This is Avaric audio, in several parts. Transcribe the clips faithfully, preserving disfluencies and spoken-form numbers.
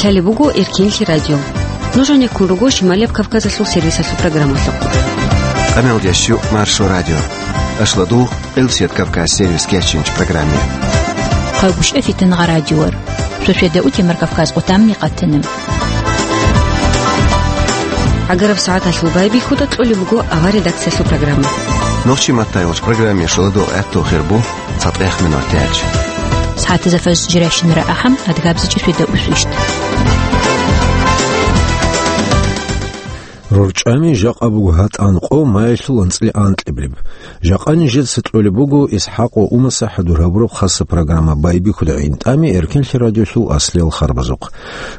Лъалеб буго Эркенлъи радио. Нуж гьанеккун руго Шималияб Кавказалъул сервисалъул программалъухъ. Къамел ящу Маршо радио. Ашладу Элсият Кавказ сервис кечинч программе. Хъагушев Фитнагъа радиор. Шошеда утемар Кавказ отамни къатанам. Агараб сагӀаталъул байбихьуда кьолеб буго авар редакциялъул программа. Нохчи маттайвач программе шоладо гӀатту хирбу. ЦатӀех минуталъ. СагӀатазда фажр жирашинара ахӀам, адгабзичӀеб шведа усвищ. РорчӀами жакъа буго гьатӀан къо маялъул анцӀила анкьабилеб. Жакъа нижеца кьолеб буго ИсхӀакъ ва Умаса хӀадур гьабураб хаса программа байбихьуда гӀинтӀами Эркенлъи радиолъул аслиял харбазухъ.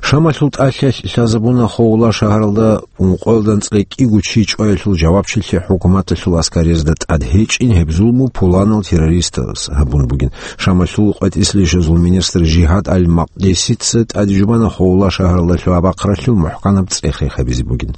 Шамалъул тӀалъиялъ лъазабуна Ховла шагьаралда ункъоялда анцӀила кӀиго чи чӀваялъул жавабчилъи хӀукуматалъул аскариязда тӀад гьечӀин гьеб зулму пуланал террористаз гьабун бугин. Шамалъул къватӀислъи жозул министр Жигьад аль-Макъдисица тӀаде жубана Ховла шагьаралда лъугьа-бахъралъул мухӀканаб цӀех-рех гьабизе бугин.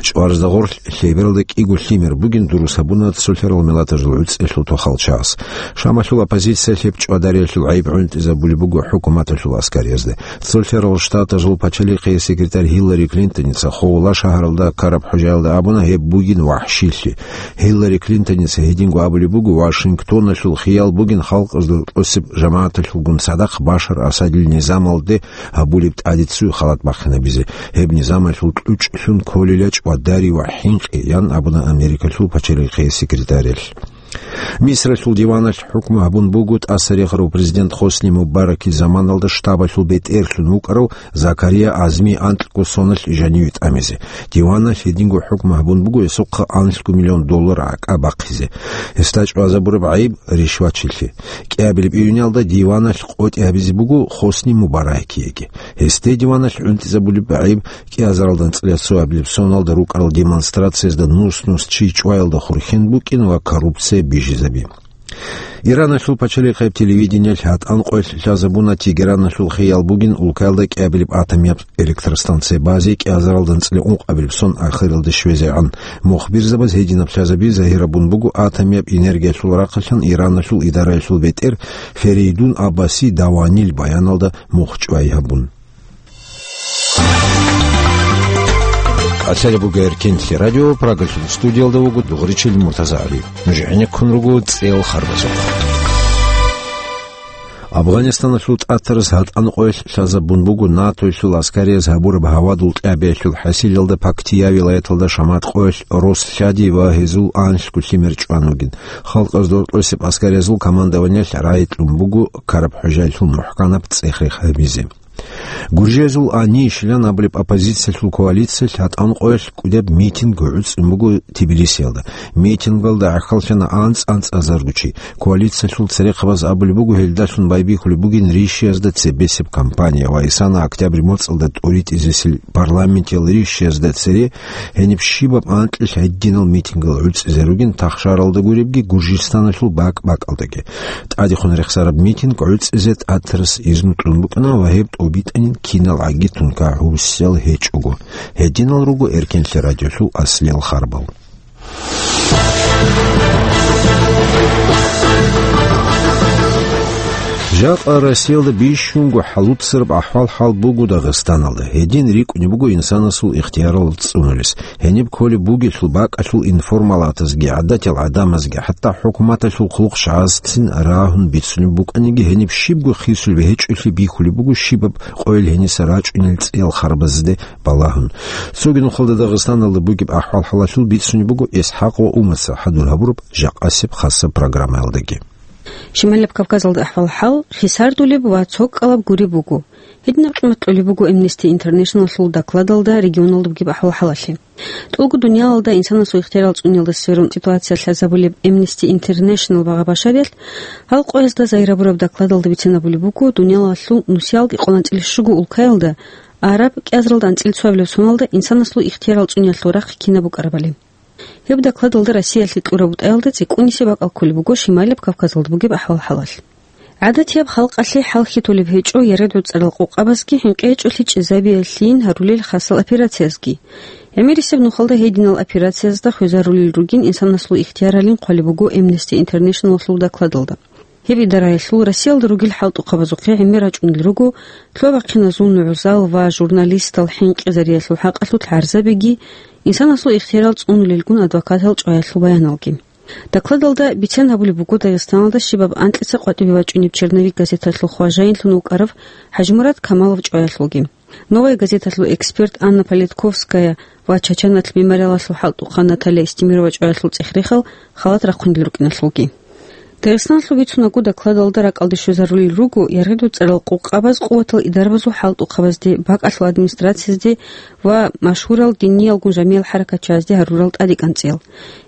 ЧӀварзда гъорлъ лъебералда кӀиго лъимер бугин дурус гьабуна цолъарал миллатазул гӀуцӀиялъул тохал чагӀаз. Шамалъул оппозиция лъеб чӀвадариялъул гӀайиб гӀунтӀизабулеб буго хӀукуматалъул аскариязда. Цолъарал Штатазул пачалихъее секретарь Гьиллари Клинтоница Ховла шагьаралда ккараб хӀужаялда абуна, гьеб бугин вахӀшилъи. Гьиллари Клинтоница гьединго абулеб буго, Вашингтоналъул хиял бугин халкъазда тӀосеб жамагӀаталъулгун цадахъ Башар Асадил низамалде гьабулеб тӀадиццуе халат бахъинабизе, гьеб низамалъул кьучӀлъун кколила чӀвадари ва хӀинкъи, ян абуна Америкалъул пачалихъее секретарялъ. Мисралъул диваналъ хӀукму гьабун буго тӀасарихарав президент Хосни Мубаракил заманалда штабалъул бетӀерлъун вукӀарав Закария Азми анкьго соналъ жаниве тӀамизе. Диваналъ гьединго хӀукму гьабун буго гьесухъа анлъго миллион доллар гӀакӀа бахъизе. Гьесда чӀвазабураб гӀайиб ришватчилъи. КӀиабилеб июнялда диваналъ къотӀи гьабизе буго Хосни Мубаракиеги. Гьесде диваналъ гӀунтӀизабулеб гӀайиб кӀиазаралда анцӀила цоабилеб соналда рукӀарал демонстрациязда нус-нус чи чӀваялда хурхен букӀин ва коррупция бижизаби. Ираналъул пачалихъаяб телевидениялъ гьатӀан къоялъ лъазабуна Тегераналъул хиял бугин улкаялда кӀиабилеб атомияб электростанция базе кӀиазаралда анцӀила ункъабилеб сон ахиралде щвезегӀан. Мухбирзабаз гьединаб лъазаби загьирабун буго атомияб энергиялъул рахъалъан Ираналъул идараялъул бетӀер Ферейдун Аббаси Даванил баяналда мухчӀвай гьабун. Лъалеб буго Эркенлъи радио, Прагалъул студиялда вуго дугъричил Муртаза ГӀали. Нуж гӀенеккун руго цӀел харбазухъ. Афганистаналъул тӀатараз гьатӀан къоялъ лъазабун буго НАТОялъул аскарияз гьабураб гьавадул кьабиялъул хӀасилалда Пактия вилаяталда шамат къоялъ рос лъади ва гьезул анлъго лъимер чӀван вугин. Халкъазда тӀосеб аскариязул командованиялъ рагӀи кьун буго ккараб хӀужаялъул мухӀканаб цӀех-рех гьабизе. Гуржиязул АНИ щилан абулеб оппозициялъул коалициялъ гьатӀан къоялъ кӀудеб митинг гӀуцӀун буго Тбилисиялда. Митингалда гӀахьаллъана анцӀ-анцӀ азарго чи. Коалициялъул церехъабаз абулеб буго, гьелдалъун байбихьулеб бугин ришиязда цебесеб кампания ва исана октябрь моцӀалда тӀуритӀизесел парламентиял ришиязда цере гьениб щибаб анкьилъ гьединал митингал гӀуцӀизе ругин тахшаралда гуребги Гуржистаналъул бакӀ-бакӀалдаги. ТӀадехун рехсараб митинг гӀуцӀизе тӀатарас изну кьун букӀана ва гьеб тӀубитӀанин кинал гӀаги тункагӀурсел гьечӀого. Гьединал руго Эркенлъи радиолъул аслиял харбал. Жакъа Россиялда бищунго хӀалуцараб ахӀвал-хӀал буго Дагъистаналда. Гьедин рикӀкӀунеб буго инсанасул ихтиярал цӀунулес. Гьениб кколеб бугелъул бакӀалъул информалатазги, гӀадатиял гӀадамазги, хӀатта хӀукуматалъул хъулухъчагӀазцин рагьун бицунеб букӀаниги, гьениб щибго хисулеб гьечӀолъи бихьулеб буго щибаб къойил гьениса рачӀунел цӀиял харбазде балагьун. Цоги нухалда Дагъистаналда бугеб ахӀвал-хӀалалъул бицунеб буго ИсхӀакъ ва Умаса хӀадур гьабураб жакъасеб хасаб программаялдаги. Шималияб Кавказалда ахӀвал-хӀал хисардулеб ва цо кӀкӀалаб гуреб буго. Гьединаб къимат кьолеб буго Amnesty International-лъул докладалда регионалда бугеб ахӀвал-хӀалалъе. ТӀулго дуниялалда инсанасул ихтиярал цӀуниялда сверун ситуация лъазабулеб Amnesty International багъа-башариялъ гьал къоязда загьир гьабураб докладалда бицинабулеб буго, дуниялалъул нусиялги къванатӀилищуго улкаялда араб кӀиазаралда анцӀила цоабилеб соналда инсанасул ихтиярал цӀуниялъул рахъ кинаб букӀарабали. Гьеб докладалда Россиялъе кьураб бутӀаялда цӀикӀкӀунисеб бакӀал кколеб буго Шималияб Кавказалда бугеб ахӀвал-хӀалалъ. ГӀадатияб халкъалъе хӀалхьи толеб гьечӀо яргъи-гӀуцӀарал къокъабазги хӀинкъи гьечӀолъи чӀезабиялъийин гьарулел хасал операциязги. ГӀемерисеб нухалда гьединал операциязда хвезарулел ругин инсанасул ихтияралин хъвалеб буго Amnesty International-лъул докладалда. Гьеб идараялъул Россиялда ругел хӀалтӀухъабазухъе гӀемер рачӀунел руго лъугьа-бахъиназул нугӀзал ва журналистал хӀинкъизариялъул хӀакъалъулъ гӀарзабиги, инсанасул ихтиярал цӀунулелгун адвокатал чӀваялъул баяналги. Докладалда бицен гьабулеб буго Дагъистаналда щибаб анкьица къватӀибе бачӀунеб «Черновик» газеталъул хважаинлъун вукӀарав ХӀажимурад Камалов чӀваялъулги. «Новая газеталъул» эксперт Анна Политковская ва Чачаналъ мемориалалъул хӀалтӀухъан Наталья Истемирова чӀваялъул цӀех-рехал халат рахъунел рукӀиналъулги. Дагъистаналъул бицунаго, докладалда ракӀалде щвезарулел руго яргъидул цӀарал къукъабаз къуватал идарабазул хӀалтӀухъабазде, бакӀалъул администрациязде ва машгьурал диниялгун жамиял хӀаракатчиязде гьарурал тӀадекӀанцӀиял.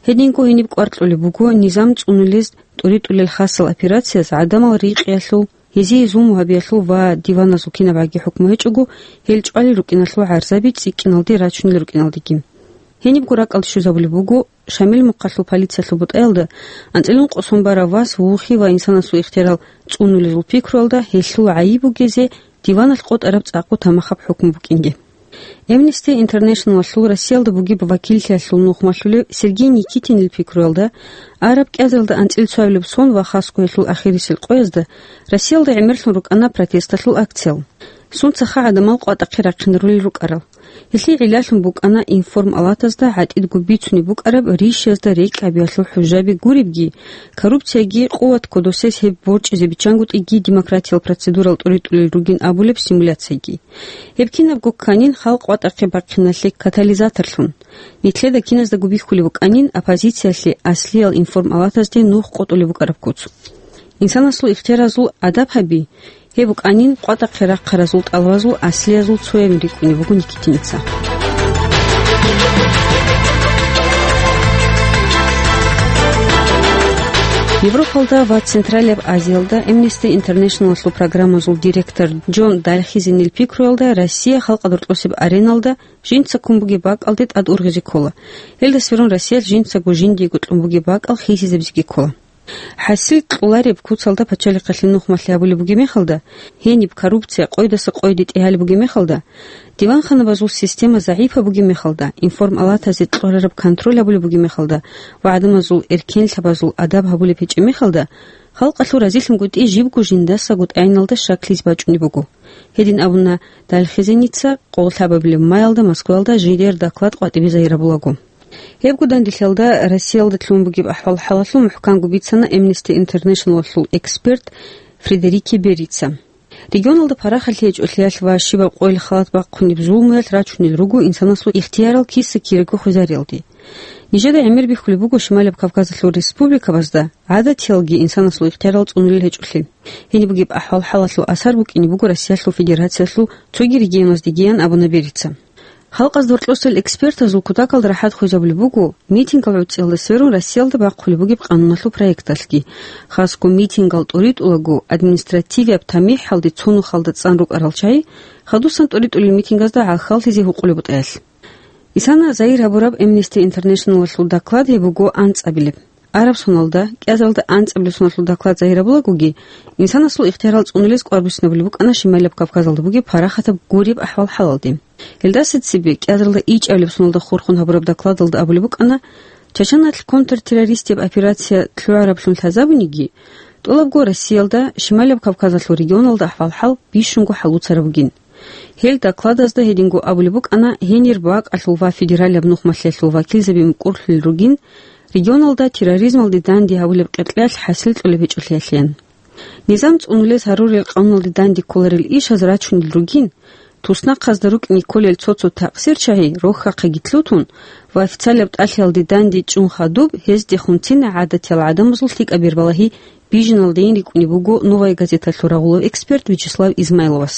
Гьединго гьениб кӀвар кьолеб буго низам цӀунулез тӀуритӀулел хасал операцияз гӀадамал рикъиялъул, гьезие зулму гьабиялъул ва диваназул кинабгӀаги хӀукму гьечӀого, гьел чӀвалел рукӀиналъул гӀарзаби цӀикӀкӀиналде рачунел рукӀиналдеги. Гьенибго ракӀалде щвезабулеб буго Шамил мухъалъул полициялъул бутӀаялда анцӀила ункъо сон барав вас вухи ва инсанасул ихтиярал цӀунулезул пикруялда гьелъул гӀайиб бугезе диваналъ къотӀараб цӀакъго тамахаб хӀукму букӀинги. Amnesty International-алъул Россиялда бугеб вакиллъиялъул нухмалъулев Сергей Никитинил пикруялда, араб кӀиазаралда анцӀила цоабилеб сон ва хасго гьелъул ахирисел къоязда Россиялда гӀемерлъун рукӀана протесталъул акциял. Сунца-ха гӀадамал къватӀахъе рахъинарулел рукӀарал. Гьелъие гӀиллалъун букӀана информалатазда гӀатӀидго бицунеб букӀараб ришазда рекӀкӀабиялъул хӀужаби гуребги, коррупцияги, къуват кодосез гьеб борчӀизе биччангутӀиги демократиял процедурал тӀуритӀулел ругин абулеб симуляцияги. Гьеб кинабго кканин халкъ къватӀахъе бахъиналъе катализаторлъун. Нилъеда киназдаго бихьулеб букӀанин оппозициялъе аслиял информалатазде нух къотӀулеб букӀараб куц. Инсанасул ихтияразул адаб гьаби, гьеб букӀанин къватӀахъе рахъаразул тӀалабазул аслиязул цоябин рикӀкӀунеб буго Никитиница. Европалда ва Централияб Азиялда Amnesty International-алъул программазул директор Джон Дальхизенил пикруялда, Россия халкъа доркьосеб ареналда жинца ккун бугеб бакӀалде тӀад ургъизе ккола. Гьелда сверун Россиялъ жинцаго жиндиего кьун бугеб бакӀал хисизабизеги ккола. ХӀасил кьолареб куцалда пачалихъалъе нухмалъи гьабулеб бугеб мехалда, гьениб коррупция къойдаса къойде тӀегьалеб бугеб мехалда, диванханабазул система загӀипаб бугеб мехалда, информалатазе кьолареб контроль гьабулеб бугеб мехалда ва гӀадамазул эркенлъабазул адаб гьабулеб гьечӀеб мехалда, халкъалъул разилъунгутӀи жибго жиндасаго тӀагӀиналда щаклъизе бачӀунеб буго. Гьедин абуна Дальхизеница къоллъабабилеб маялда Москваялда жидер доклад къватӀибе загьирабулаго. Гьебго данделъиялда Россиялда лъун бугеб ахӀвал-хӀалалъул мухӀканго бицана Amnesty International-алъул эксперт Фредерике Берица. Регионалда парахалъи гьечӀолъиялъ ва щибаб къойил халат бахъунеб зулмуялъ рачунел руго инсанасул ихтиярал киса-кираго хвезариялде. Нижеда гӀемер бихьулеб буго Шималаб Кавказалъул республикабазда гӀадатиялги инсанасул ихтиярал цӀунулел гьечӀолъи. Гьениб бугеб ахӀвал-хӀалалъул асар букӀине буго Россиялъул Федерациялъул цоги регионаздегиян абуна Берица. Халкъазда гьоркьосел экспертазул кутакалда рахӀат хвезабулеб буго митингал гӀуцӀиялда сверун Россиялда бахъулеб бугеб къануналъул проекталъги. Хасго митингал тӀуритӀулаго административияб тамихӀалде цо нухалда цӀан рукӀарал чагӀи хадусан тӀуритӀулел митингазда гӀахьаллъизе гьукъулеб бутӀаялъ. Исана загьир гьабураб Amnesty International-алъул доклад гьеб буго анцӀабилеб. Араб соналда, кӀиазаралда анцӀабилеб соналъул доклад загьирабулагоги, инсанасул ихтиярал цӀунулез кӀвар буссинабулеб букӀана Шималаб Кавказалда бугеб парахатаб гуреб ахӀвал-хӀалалде. Гьелдаса цебе кӀиазаралда ичӀабилеб соналда хурхун гьабураб докладалда абулеб букӀана, Чачаналъ контртеррористияб операция лъугӀараблъун лъазабуниги, тӀолабго Россиялда, Шималаб Кавказалъул регионалда ахӀвал-хӀал бищунго хӀалуцараб бугин. Гьел докладазда гьединго абулеб букӀана гьенир бакӀалъул ва федералияб нухмалъиялъул вакилзаби мукӀурлъулел ругин, регионалда терроризмалде данде гьабулеб къеркьеялъ хӀасил кьолеб гьечӀолъиялъеян. Низам цӀунулез гьарурел къануналде данде кколарел ишаз рачунел ругин, туснахъазда рукӀине кколел цо-цо такъсир чагӀи рохьахъеги лъутун ва официалияб тӀалъиялде данде чӀун хадуб, гьездехун цина гӀадатиял гӀадамазул лъикӀаб бербалагьи бижиналдейин рикӀкӀунеб буго «Новая газеталъул» рагъулав эксперт Вячеслав Измайловас.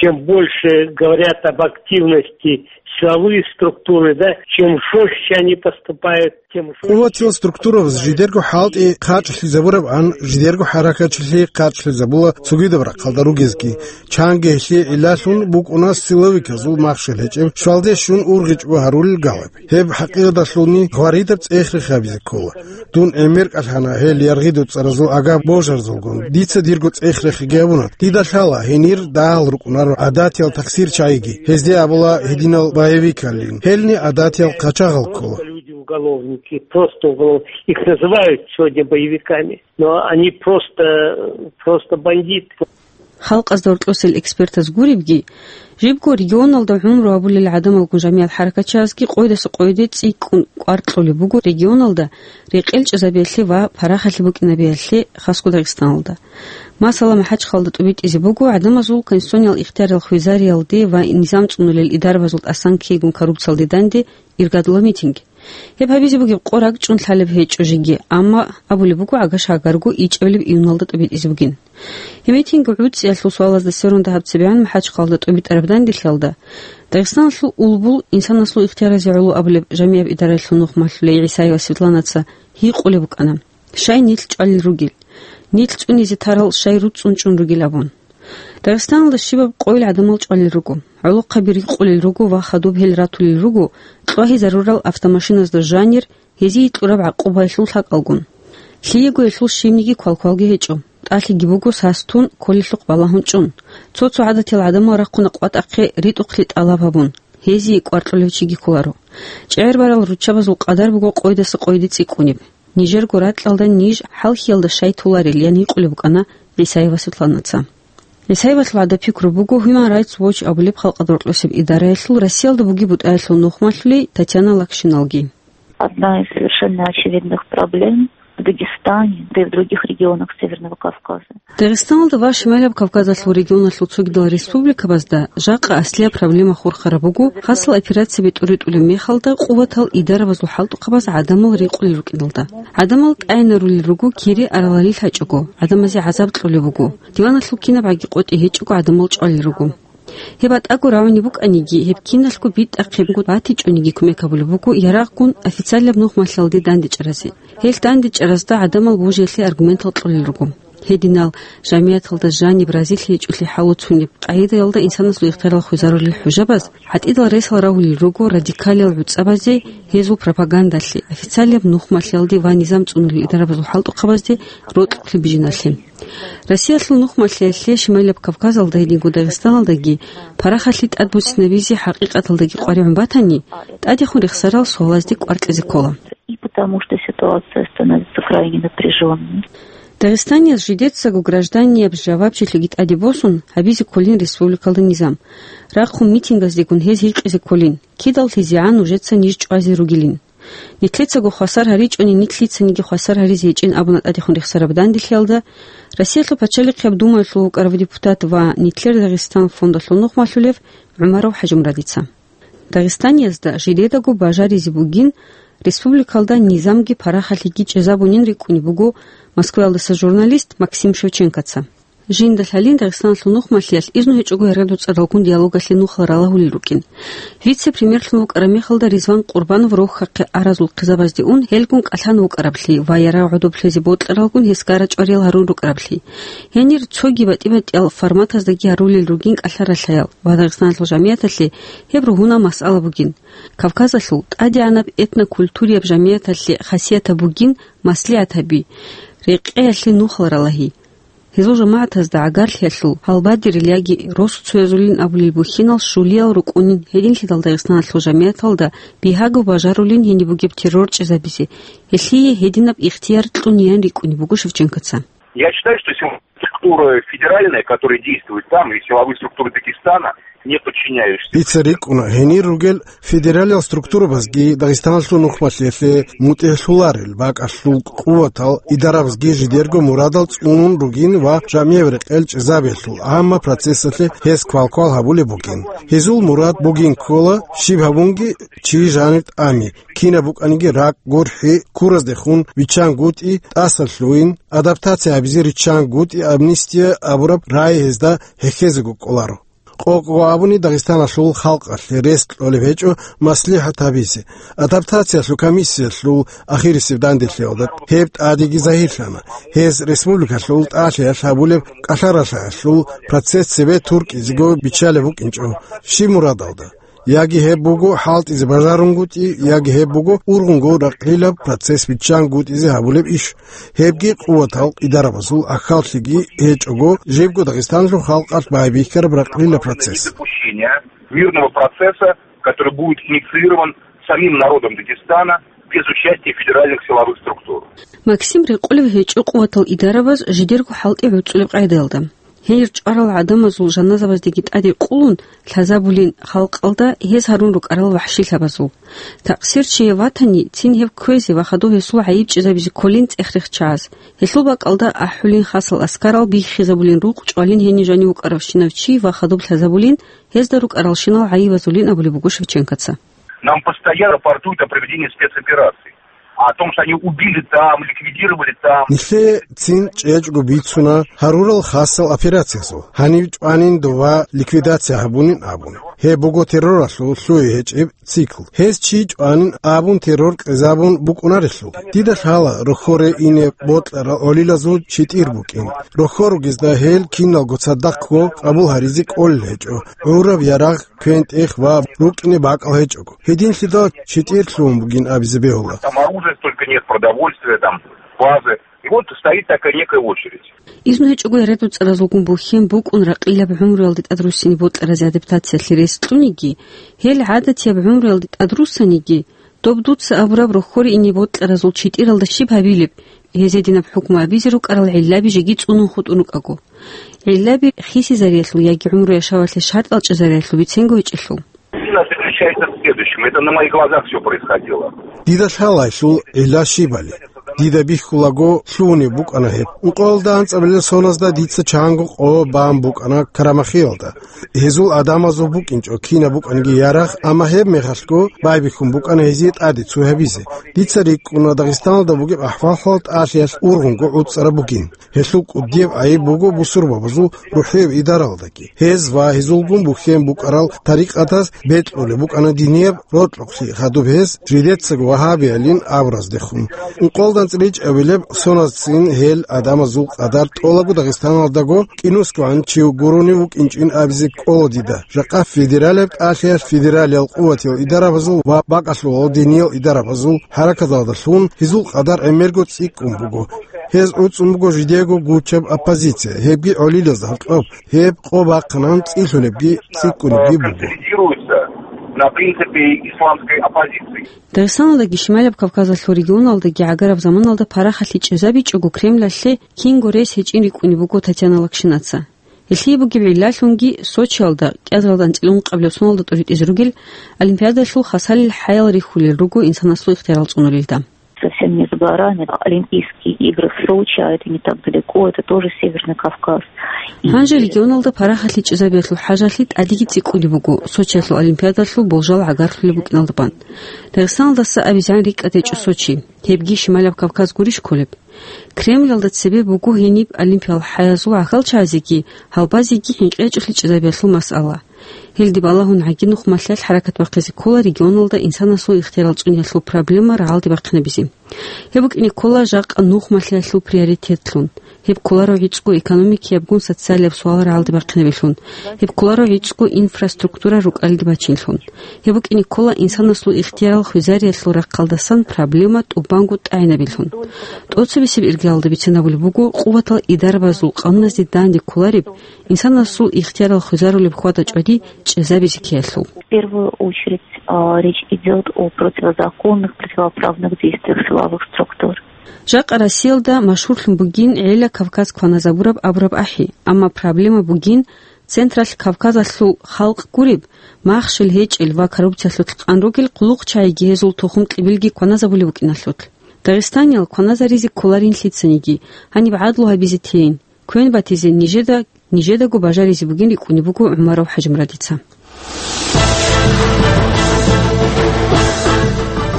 Чем больше говорят об активности силовые структуры, да, чем жестче они поступают, тем жестче. Къуватиял структурабаз жидерго хӀалтӀи хъачӀлъизабурабан, жидерго хӀаракатчилъи хъачӀлъизабула цогидаб рахъалда ругезги. Чанги гьелъие гӀиллалъун букӀуна силовиказул махщел гьечӀеб щвалде щун ургъичӀго гьарулел галаби. Гьеб хӀакъикъаталъулни гъваридаб цӀех-рех гьабизе ккола. Дун гӀемер кӀалъана гьел яргъидул цӀаразул агар божарзулгун. Дица дирго цӀех-рехги абуна. Дида лъала, гьенир дагьал рукӀунаро гӀадатиял таксир чагӀиги. Гьезде абула гьединал боевикалин. Гьелни гӀадатиял хъачагъал ккола. Уголовники, просто уголов-, их называют сегодня боевиками, но они просто, просто бандиты. Халкъазда гьоркьосел экспертаз гуребги, жибго регионалда гӀумру гьабулел гӀадамалгун жамигӀат хӀаракатчиязги къойдаса къойде цӀикӀкӀун кӀвар кьолеб буго регионалда рекъел чӀезабиялъе ва парахалъи букӀинабиялъе, хасго Дагъистаналда. Масала, МахӀачхъалда тӀубитӀизе буго гӀадамазул конституциониял ихтиярал хвезариялде ва низам цӀунулел идарабазул тӀасан ккейгун коррупциялде данде иргадула митинг. Гьеб гьабизе бугеб къо ракӀчӀун лъалеб гьечӀо жеги, амма абулеб буго гӀагаш гьагарго ичӀабилеб июналда тӀубитӀизе бугин. Гьеб митинг гӀуцӀиялъул суалазда сверун дагьаб цебегӀан МахӀачхъалда тӀубитӀараб данделъиялда Дагъистаналъул улбул инсанасул ихтияразе гӀоло абулеб жамигӀаб идараялъул нухмалъулей ГӀисаева Светланаца гьикъулеб букӀана, щай нилъ чӀвалел ругел. Нилъ цӀунизе тарал щай руцӀцӀун чӀун ругел абун. Дагъистаналда щибаб къойил гӀадамал чӀвалел руго, гӀолохъаби рикъулел руго ва хадуб гьел ратулел руго кьвагьизарурал автомашиназда жанир, гьезие кьураб гӀакъубаялъул лъакӀалгун. Лъиего гьелъул щибниги квалквалги гьечӀо, тӀалъиги буго сас тун, кколелъухъ балагьун чӀун. Цо-цо гӀадатиял гӀадамал рахъуна къватӀахъе ритӀухълъи тӀалаб гьабун, гьезие кӀвар кьолев чиги кколаро. ЧӀегӀербарал руччабазул къадар буго къойдаса къойде цӀикӀкӀунеб. Нижерго ракьалда ниж хӀалхьиялда щай толарел ян гьикъулеб букӀана ГӀисаева Светланаца. ГӀисаевалъул гӀадаб пикру буго Human Rights Watch абулеб халкъалда гьоркьосеб идараялъул Россиялда бугеб бутӀаялъул нухмалъулей Татьяна Лакшиналги. Одна из совершенно очевидных проблем в Дагестане, да и в других регионах Северного Кавказа. Дагъистаналда ва Шималаб Кавказалъул регионалъул цогидал республикабазда жакъа аслияб проблема хурхараб буго, хасал операция бетӀеритӀулеб мехалда къуватал идарабазул хӀалтӀухъабаз гӀадамал рекъулел рукӀиналда. ГӀадамал тӀайинарулел руго кири аралалил гьачӀого, гӀадамазе гӀазаб кьолеб буго. Диваналъул кинабгӀаги къотӀи гьечӀого гӀадамал чӀвалел руго. Гьеб батӀаго рагӀунеб букӀаниги, гьеб киналъго битӀахъебго батичӀониги кумек гьабулеб буго ярагъгун официалияб нухмалъиялде дандечӀаразе. Гьелъ дандечӀаразда гӀадамал божиялъе аргументал кьолел руго. Гьединал жамигӀаталда жаниб разилъи гьечӀолъи хӀалуцунеб къагӀидаялда инсанасул ихтиярал хвезарулел хӀужабаз гӀатӀидал ресал рагьулел руго радикалиял гӀуцӀабазе, гьезул пропагандалъе, официалияб нухмалъиялде ва низам цӀунулел идарабазул хӀалтӀухъабазде рокьухълъи бижиналъе. Россиялъул нухмалъиялъе Шималаб Кавказалда гьединго Дагъистаналдаги парахалъи тӀадбуцинабизе хӀакъикъаталдаги къваригӀун батани, тӀадехун рехсарал суалазде кӀвар кьезе ккола. И потому что ситуация становится крайне напряжённой. Дагъистанияз жидецаго гражданияб жавабчилъиги тӀаде босун гьабизе кколин республикалда низам. Рахъун митингаздегун гьез гьикъизе кколин, кидаллъизегӀан нужеца ниж чӀвазе ругилин. Нилъецаго хвасар гьаричӀони, нилъ лъицаниги хвасар гьаризе гьечӀин абуна тӀадехун рехсараб данделъиялда Россиялъул Пачалихъияб Думаялъул вукӀарав депутат ва Нилъер Дагъистан фондалъул нухмалъулев ГӀумаров ХӀажимурадица. Дагъистаниязда жидедаго бажаризе бугин республикалда низамги парахалъиги чӀезабунин рикӀкӀунеб буго Москваялдаса журналист Максим Шевченкоца. Жинда лъалин Дагъистаналъул нухмалъиялъ изну гьечӀого яргадуцӀаралгун диалогалъе нухал ралагьулел рукӀин. Вице-премьерлъун вукӀараб мехалда Ризван Къурбанов рохьахъе аразул хъизабазде ун гьелгун кӀалъан вукӀараблъи ва ярагъ гӀодоб лъезе бокьаралгун гьес гара-чӀвариял гьарун рукӀараблъи. Гьенир цоги батӀи-батӀиял форматаздаги гьарулел ругин кӀалъа-ралъаял ва Дагъистаналъул жамигӀаталъе гьеб ругьунал масъала бугин. Кавказалъул тӀадегӀанаб этнокультурияб жамигӀаталъе хасиятаб бугин маслигӀатаби, рекъеялъе нухал ралагьи. Гьезул жамагӀатазда гӀагарлъиялъул гьалбадерил яги росуцоязулин абулел бухьинал щулиял рукӀунин, гьединлъидал Дагъистаналъул жамигӀаталда бигьаго бажарулин гьениб бугеб террор чӀезабизе, гьелъие гьединаб ихтияр кьуниян рикӀкӀунеб буго Шевченкоца. Я считаю, что силовые структуры федеральные, которые действуют там, и силовые структуры Дагестана, не подчиняющиеся. Дица рикӀкӀуна, гьенир ругел федералиял структурабазги Дагъистаналъул нухмалъиялъе мутӀигӀлъуларел бакӀалъул къуватал идарабазги жидерго мурадал цӀунун ругин ва жамигӀ рекъел чӀезабиялъул гӀамма процессалъе гьез квалквал гьабулеб бугин. Гьезул мурад бугин ккола щиб гьабунги чи жанир тӀами, кинаб букӀаниги ракӀ, гурхӀи, ккураздехун виччангутӀи, тӀасалъугьин, адаптация гьабизе риччангутӀи, амнистия абураб рагӀи гьезда хӀехьезего кӀоларо. Къокъго абуни, Дагъистаналъул халкъалъе рес кьолеб гьечӀо маслихӀат гьабизе, адаптациялъул комиссиялъул ахирисеб данделъиялда гьеб тӀадеги загьирлъана. Гьез республикалъул тӀалъиялъ гьабулеб кӀалъа-ралъаялъул процесс цебе туркӀизего биччалеб букӀинчӀо. Щиб мурадалда? Яги гьеб буго хӀалтӀизе бажарунгутӀи, яги гьеб буго ургъунго ракълилаб процесс биччангутӀизе гьабулеб иш. Гьебги къуватал идарабазул ахӀаллъиги гьечӀого, жибго Дагъистаналъул халкъалъ байбихьараб ракълила процесс. Недопущение мирного процесса, который будет инициирован самим народом Дагестана, без участия федеральных силовых структур. Максим рекъолев гьечӀо къуватал идарабаз жидерго хӀалтӀи гӀуцӀулеб къайдаялда. Гьел чӀварал гӀадамазул жаназабаздеги тӀаде къулун, лъазабулин халкъалда гьез гьарун рукӀарал вахӀшилъабазул. Такъсир чияв ватани, цин гьев кквезе ва хадув гьесул гӀайиб чӀезабизе кколин цӀех-рех чагӀаз. Гьелъул бакӀалда ахӀулин хасал аскарал, биххизабулин рукъ, чӀвалин гьенив жанив вукӀаравщинав чи ва хадуб лъазабулин, гьезда рукӀаралщинал гӀайибазулин абулеб буго Шевченкоца. Нам постоянно рапортуют о проведении спецопераций, о том, что они убили там, ликвидировали там. Нилъее цин чӀечӀго бицуна гьарурал хасал операциязул, гьанив чӀванин дова ликвидация гьабунин абун. Гьеб буго терроралъул лъугьи гьечӀеб цикл. Гьез чи чӀванин абун террор кьезабун букӀунарелъул. Дида лъала рохьоре ине бокьарал гӀолилазул читӀир букӀин. Рохьор ругезда гьел киналго цадахъго къабул гьаризе кӀолел гьечӀо. ГӀураб ярагъ, квен-тӀех ва рукӀине бакӀал гьечӀого. Гьединлъидал читӀир лъугьун бугин абизе бегьула. Там оружия столько нет, продовольствия, там, базы. И вот стоит такая некая очередь. Изну гьечӀого ярадуцӀаразулгун бухьен букӀун ракъилаб гӀумруялде тӀадруссине бокьаразе адаптациялъе рес кьуниги, гьел гӀадатияб гӀумруялде тӀадруссаниги, доб дуца абураб рохьоре ине бокьаразул читӀиралда щиб гьабилеб? Гьезие динаб хӀукму абизе рукӀарал гӀиллаби жеги цӀунун хутӀун рукӀаго. ГӀиллаби хисизариялъул яги гӀумру-яшавалъе шартӀал чӀезариялъул биценго гьечӀелъул. Причина заключается в следующем. Это на моих глазах всё происходило. Дида лъалайлъул гӀилла щибали. Дида бихьулаго лъугьунеб букӀана гьеб. Ункъоялда анцӀабилеб соназда дица чанго къо бан букӀана Карамахиялда. Гьезул гӀадамазул букӀинчӀо кинаб букӀанги ярагъ, амма гьеб мехалъго байбихьун букӀана гьезие тӀаде цо гьабизе. Дица рикӀкӀуна Дагъистаналда бугеб ахӀвал-хӀал тӀалъиялъ ургъунго гӀуцӀараб бугин. Гьелъул кӀудияб гӀайиб буго бусурбабазул рухӀияб идаралдаги. Гьез ва гьезулгун бухьен букӀарал тарикъатаз бекьулеб букӀана динияб рокьукълъи, хадуб гьез жидецаго вагьабиялин абураздехун. Ункъоялда анцӀила ичӀабилеб соназцин гьел гӀадамазул къадар тӀолаго Дагъистаналдаго кӀинусгогӀан чи гурони вукӀинчӀин абизе кӀола дида. Жакъа федералияб тӀалъиялъ федералиял къуватиял идарабазул ва бакӀалъулал диниял идарабазул хӀаракаталдалъун гьезул къадар гӀемерго цӀикӀкӀун буго. Гьез гӀуцӀун буго жидего гучаб оппозиция, гьебги гӀолилазда гьоркьоб, гьеб къо бахъанан цӀилъунебги цӀикӀкӀунебги буго. Консолидируется на принципе исламской оппозиции. Дагъистаналдаги Шималаб Кавказалъул регионалдаги гӀагараб заманалда парахалъи чӀезабичӀого Кремлалъе кинго рес гьечӀин рикӀкӀунеб буго Татьяна Локшинаца. Гьелъие бугеб гӀиллалъунги Сочиялда, кӀиазаралда анцӀила ункъабилеб соналда тӀуритӀизе ругел, Олимпиадалъул хасалил хӀаял рихьулел руго инсанасул ихтиярал цӀунулелда. Совсем не за горами. Олимпийские игры в Сочи, а это не так далеко, это тоже Северный Кавказ. И Гьанже регионалда парахалъи чӀезабиялъул хӀажалъи тӀадеги цӀикӀкӀулеб буго Сочиялъул Олимпиадалъул болжал гӀагарлъулеб букӀиналда бан. Дагъистаналдаса абизегӀан рикӀкӀад гьечӀо Сочи, гьебги Шималаб Кавказ гурищ кколеб? Кремлалда цебе буго гьениб олимпиял хӀаязул гӀахьалчагӀазеги, гьалбазеги хӀинкъи гьечӀолъи чӀезабиялъул масъала. Гьелде балагьун гӀаги нухмалъиялъ хӀаракат бахъизе ккола регионалда инсанасул ихтиярал цӀуниялъул проблема рагӀалде бахъинабизе. Гьеб букӀине ккола жакъа нухмалъиялъул приоритетлъун. Гьеб кколаро гӀицӀго экономикиябгун социалияб суал рагӀалде бахъинабилъун. Гьеб кколаро гӀицӀго инфраструктура рукӀалде бачинлъун. Гьеб букӀине ккола инсанасул ихтиярал хвезариялъул рахъалдасан проблема тӀубанго тӀагӀинабилъун. ТӀоцебесеб иргаялда бицинабулеб буго къуватал идарабазул къануназде данде кколареб, инсанасул ихтиярал хвезарулеб хьвада-чӀвади чӀезабизе ккеялъул. В первую очередь, а, речь идёт о противозаконных, противоправных действиях силовых структур. Жакъа Россиялда машгьурлъун бугин гӀела Кавказ кваназабураб абураб ахӀи, амма проблема бугин Централъ Кавказалъул халкъ гуреб, махщел гьечӀел ва коррупциялъулъ къан ругел хъулухъчагӀиги гьезул тухум-кьибилги кваназабулеб букӀиналъулъ. Дагъистаниял кваназаризе кколарин лъицаниги, гьаниб гӀадлу гьабизе тейин, квен батизе нижеда, нижедаго бажаризе бугин рикӀкӀунеб буго ГӀумаров ХӀажимурадица.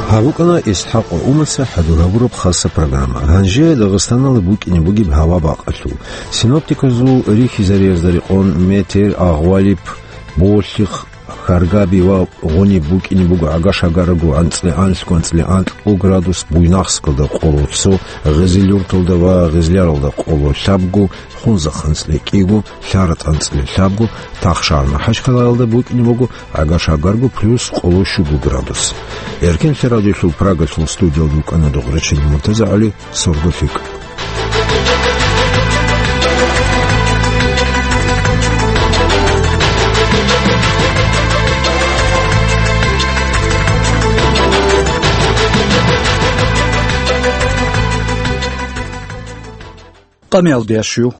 Гьаб букӀана ИсхӀакъ ГӀумарца хӀадур гьабураб хаса программа. Гьанже Дагъистаналда букӀине бугеб гьава бакъалъул. Синоптиказул рихьизариязда рекъон метр, агъвалиб, болъих, хьаргаби ва гъуниб букӀине буго гӀага-шагарго анцӀила анлъго, анцӀила анкьго градус, Буйнакскалда къоло цо, Гъизил-Юрталда ва Гъизляралда къоло лъабго, Хунзахъ анцӀила кӀиго, Лъаратъ анцӀила лъабго, Тахшагьар МахӀачхъалаялда букӀине буго гӀага-шагарго плюс къоло щуго градус. Эркенлъи радиолъул Прагалъул студиялда рукӀана Дугърачил МуртазагӀали, сорго лъикӀ. тӀамиялдеящую.